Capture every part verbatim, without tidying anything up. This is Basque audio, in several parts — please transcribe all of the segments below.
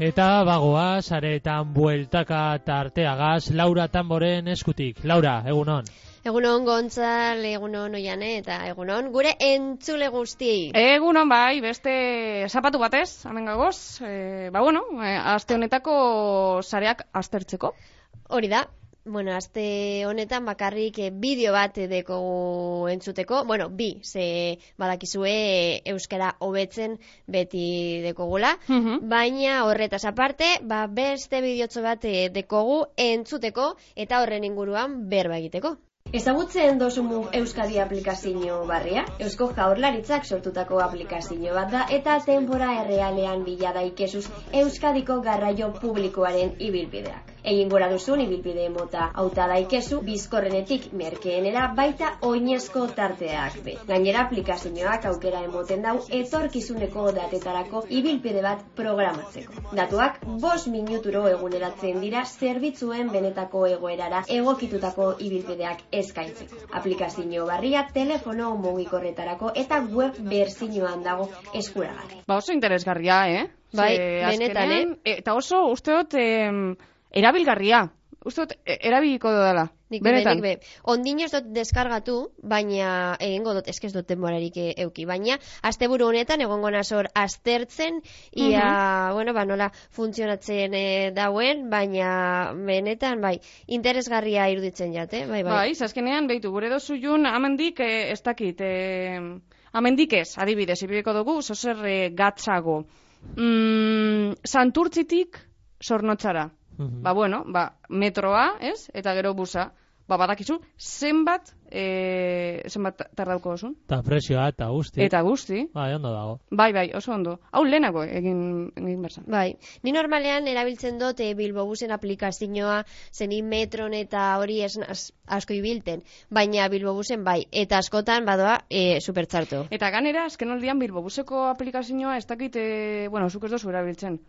Eta bagoa, saretan bueltaka tarteagaz, Laura Tamboren eskutik. Laura, egunon. Egunon Gontzal, egunon Oiane, eta egunon gure entzule guztiei. Egunon bai, beste zapatu batez, hemen gagoz. E, ba bueno, e, aste honetako sareak aztertzeko. Hori da. Bueno, aste honetan bakarrik eh, bideo bat dekogu entzuteko. Bueno, bi, ze badakizue eh, euskara hobetzen beti dekogula. Uh-huh. Baina horretaz aparte, ba, beste bideotxo bat eh, dekogu entzuteko eta horren inguruan berba egiteko. Ezagutzen dozumu Euskadi aplikazio barria? Eusko Jaurlaritzak sortutako aplikazio bat da eta denbora errealean bila daikezuz Euskadiko garraio publikoaren ibilbideak. Egin gora duzun ibilbide mota hauta daikezu bizkorrenetik merkeenera baita oinezko tarteak be. Gainera aplikazioak aukera emoten dau etorkizuneko datetarako ibilbide bat programatzeko. Datuak bost minuturo eguneratzen dira zerbitzuen benetako egoerara egokitutako ibilbideak eskaintzeko. Aplikazio barria telefono mugikorretarako eta web berzinoan dago eskuragarri. Ba oso interesgarria, eh? Bai, Ze, benetan, azkenen, eh? Eta oso usteot eh, erabilgarria. Usteot eh, erabiliko dela. Nik be, Benetan. nik be. Ondino ez dut deskargatu, baina egingo dut, eskez dut denborarik euki, baina asteburu honetan egongo nazor aztertzen, ia, Mhm. bueno, ba, nola funtzionatzen e, dauen, baina benetan, bai, interesgarria iruditzen jate, bai, bai. Bai, azkenean, behitu, gure dozu jun, amendik, eh, ez dakit, eh, amendik ez, adibidez, ibiliko dugu, zozer eh, gatzago. Mm, Santurtzitik Zornotzara. Mhm. Ba, bueno, ba, metroa, ez? Eta gero busa. Ba, badakizu, zenbat, e, zenbat tardauko osun? Eta presioa eta guzti. Eta guzti. Bai, ondo dago. Bai, bai, oso ondo. Hau lehenago egin, egin berzan. Bai, ni normalean erabiltzen dut e, Bilbobusen aplikazioa, zeni metron eta hori ez az- asko ibilten, baina Bilbobusen bai, eta askotan badoa e, supertzartu. Eta ganera, azken aldian Bilbobuseko aplikazioa ez dakit, e, bueno, zuk ez dozu erabiltzen.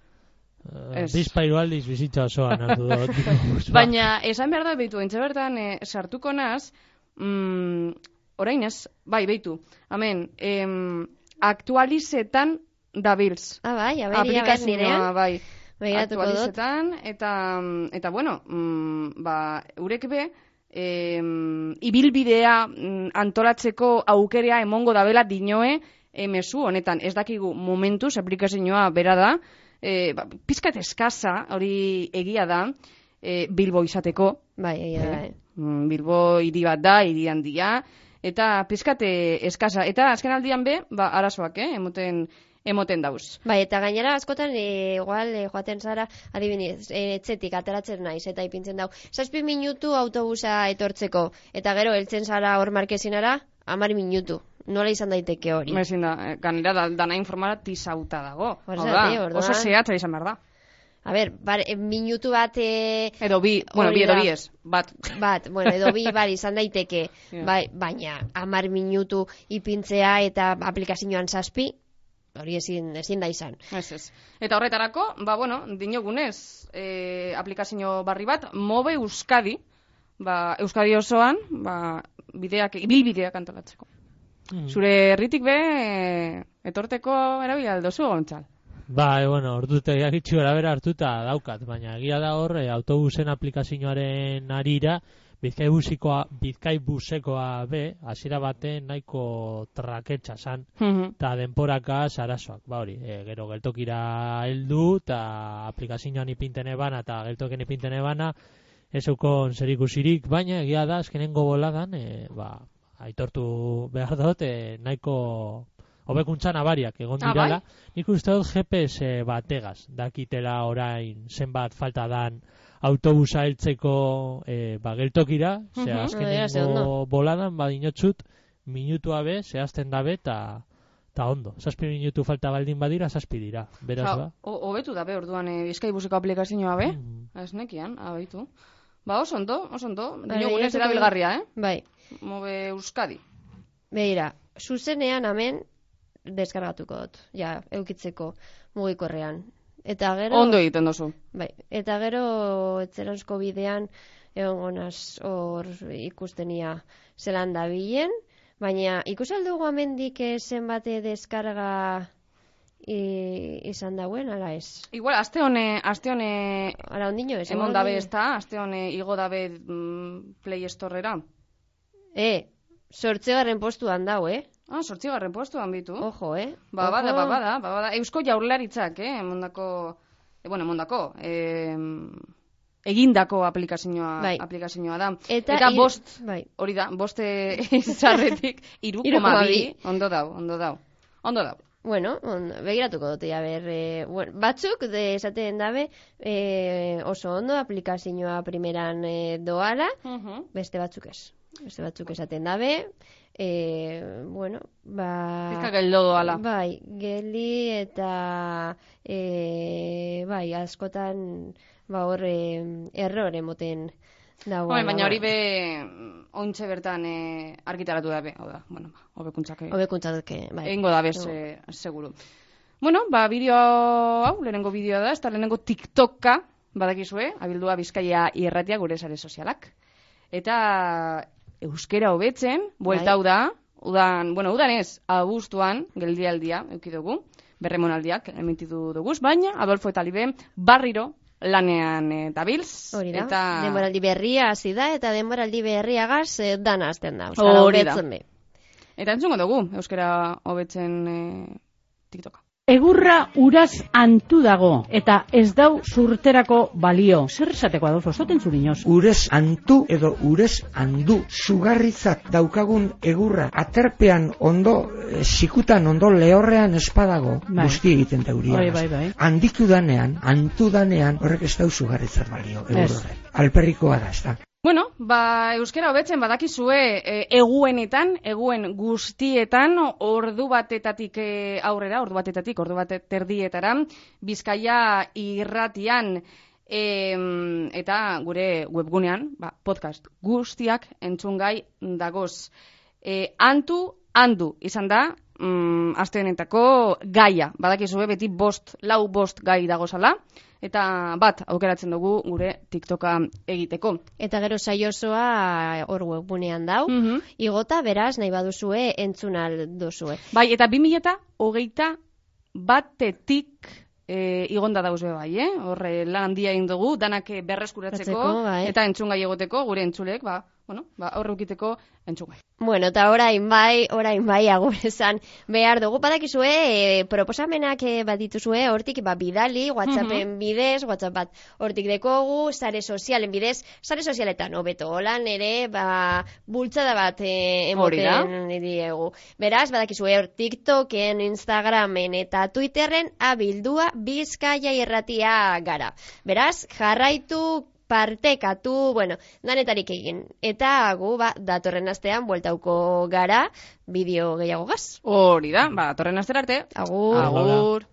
Uh, Ez. Bizpairu aldiz bizitza osoan hartu dut. Baina, esan behar da, behitu, entze bertan, e, sartuko naz, mm, orain ez, bai, behitu, amen, em, aktualizetan dabiltz. Ah, bai, a ber, ia ber Aplikazioa, nirean, bai, begiratuko dut. aktualizetan, eta, eta bueno, mm, ba, urek be, em, ibilbidea mm, antolatzeko aukerea emongo dabela dinoe emezu honetan, ez dakigu momentuz aplikazioa bera da, e, ba, pizkat eskaza, hori egia da, e, Bilbo izateko, Bai, egia da, eh. Mm, Bilbo hiri bat da, hiri handia, eta pizkate eskaza. Eta azken aldian be, ba, arazoak, eh, emoten, emoten dauz. Bai, eta gainera askotan e, igual e, joaten zara, adibidez, e, etxetik ateratzen naiz eta ipintzen dau. Zazpi minutu autobusa etortzeko, eta gero heltzen zara hor markezinara, hamar minutu. Nola izan daiteke hori? Ezin da, ganera da, dana informatizauta dago. Hor Hau zate, da, orduan. oso zehatza izan behar da. A ber, bar, e, minutu bat... E, Edo bi, bueno, hori bi edo da. bi ez, bat. Bat, bueno, edo bi bar izan daiteke, Ja. bai, baina hamar minutu ipintzea eta aplikazioan zazpi, hori ezin, ezin da izan. Ez, ez. Eta horretarako, ba, bueno, dinogunez, e, aplikazio barri bat, Mobe Euskadi, ba, Euskadi osoan, ba, bideak, ibilbideak antolatzeko. Mm. Zure herritik be, e, etorteko erabila aldozu, Gontzal. Bai, bueno, orduta gitxu bera hartuta daukat, baina egia da hor, e, autobusen aplikazioaren arira, Bizkai busikoa, Bizkai busekoa be, hasiera baten nahiko traketxa zan, Mhm. eta denporaka sarasoak, ba hori, e, gero geltokira heldu, eta aplikazioan ipinten ebana, eta geltoken ipinten ebana, ez eukon zerikusirik, baina egia da, azkenengo boladan, e, ba, aitortu behar dut, e, nahiko hobekuntza nabariak egon Ah, dirala. bai? Nik uste dut G P S bategaz, dakitela orain zenbat falta dan autobusa heltzeko e, ba, geltokira, ze Mhm. Ja, ze ondo. azkenengo boladan badinotzut minutua be, zehazten dabe, eta ta ondo. Zazpi minutu falta baldin badira, zazpi dira. Beraz Osa, ba. ho- hobetu da be, orduan, e, Bizkai buseko aplikazioa be, Mhm. ez nekian, abaitu. Ba, oso ondo, oso ondo, Bai, dinogunez begiratuko erabilgarria, eh? Bai, Mobe Euskadi. begira, zuzenean hemen deskargatuko dut, ja, eukitzeko mugikorrean. Eta gero... Ondo egiten dozu. Bai, eta gero etzeranzko bidean egongo naz hor ikustenia zelan dabilen, baina ikusaldugu amendik zenbate deskarga i, izan dauen, ala ez? Igual, aste hone, aste hone Ara ondino, ez? emon dabe ez da, aste hone igo dabe mm, Play Storera. E, sortzegarren postuan dau, eh? Ah, sortzigarren postuan bitu. Ojo, eh? Ba, bada, Ojo. ba, bada, ba, bada. Eusko Jaurlaritzak, eh, emondako, e, bueno, emondako, eh, egindako aplikazioa, Bai. aplikazioa da. Eta, Eta ir- bost, bai. hori da, boste izarretik, iru Hiru koma koma bi, bi. ondo dau, ondo dau, ondo dau. Bueno, on, begiratuko dute, ja, ber, e, bueno, batzuk de esaten dabe e, oso ondo aplikazioa primeran e, doala, Uh-huh. beste batzuk ez. Beste batzuk esaten dabe, e, bueno, ba... Pizka geldo doala. Bai, geli eta e, bai, askotan ba hor e, errore moten dago. Home, baina hori be, ointxe bertan e, argitaratu dabe, hau da, bueno, ba, hobekuntzak e, Hobekuntzatke, bai. egingo dabe, se, seguru. Bueno, ba, bideo hau, lehenengo bideoa da, ez da lehenengo TikToka, badakizue, abildua Bizkaia irratia gure sare sozialak. Eta euskera hobetzen, buelta hau da, udan, bueno, udan ez, abuztuan, geldialdia, eukidugu, berremonaldiak emititu duguz, baina Adolfo eta Libe barriro lanean e, dabilz. Hori da, eta... denboraldi berria hasi da, eta denboraldi berriagaz e, dana hasten da. Hori da. Hobetzen be. Eta entzungo dugu, euskera hobetzen e, TikToka. Egurra uraz antu dago, eta ez dau surterako balio. Zer esateko, Adolfo, zoten zurinoz? Urez antu edo urez andu. Sugarritzat daukagun egurra aterpean ondo, e, sikutan ondo lehorrean espadago, Bai. guzti egiten dauria. Bai, bai, bai. Handitu danean, antu danean, horrek ez dau sugarritzat balio, Ez. egurre. Alperrikoa da, ez da. Bueno, ba, euskera hobetzen badakizue e, eguenetan, eguen guztietan, ordu batetatik e, aurrera, ordu batetatik, ordu bat terdietara, Bizkaia irratian, e, eta gure webgunean, ba, podcast guztiak entzungai dagoz. E, antu, handu, izan da, mm, aste honetako gaia, badakizue beti bost, lau bost gai dagozala, eta bat aukeratzen dugu gure TikToka egiteko. Eta gero saiosoa hor webgunean dau. Mhm. Igota, beraz, nahi baduzue, entzunal duzue. Bai, eta bi mila eta hogeita batetik e, igonda dauz be bai, eh? Horre lan handia egin dugu, danak berreskuratzeko, Batzeko, bai. eta entzungai egoteko, gure entzulek, ba, bueno, ba, aurre ukiteko entzungai. Bueno, eta orain bai, orain bai agur esan behar dugu. Badakizue, e, proposamenak e, bat dituzue, hortik ba, bidali, WhatsAppen bidez, WhatsApp bat hortik dekogu, sare sozialen bidez, sare sozialetan hobeto holan ere, ba, bultzada bat e, Hori da. emoten diegu. Beraz, badakizue hor TikToken, Instagramen eta Twitterren abildua Bizkaia irratia gara. Beraz, jarraitu, partekatu, bueno, danetarik egin. Eta gu, ba, datorren astean bueltauko gara bideo gehiago gaz. Hori da, ba, torren astera arte. Agur. Agur.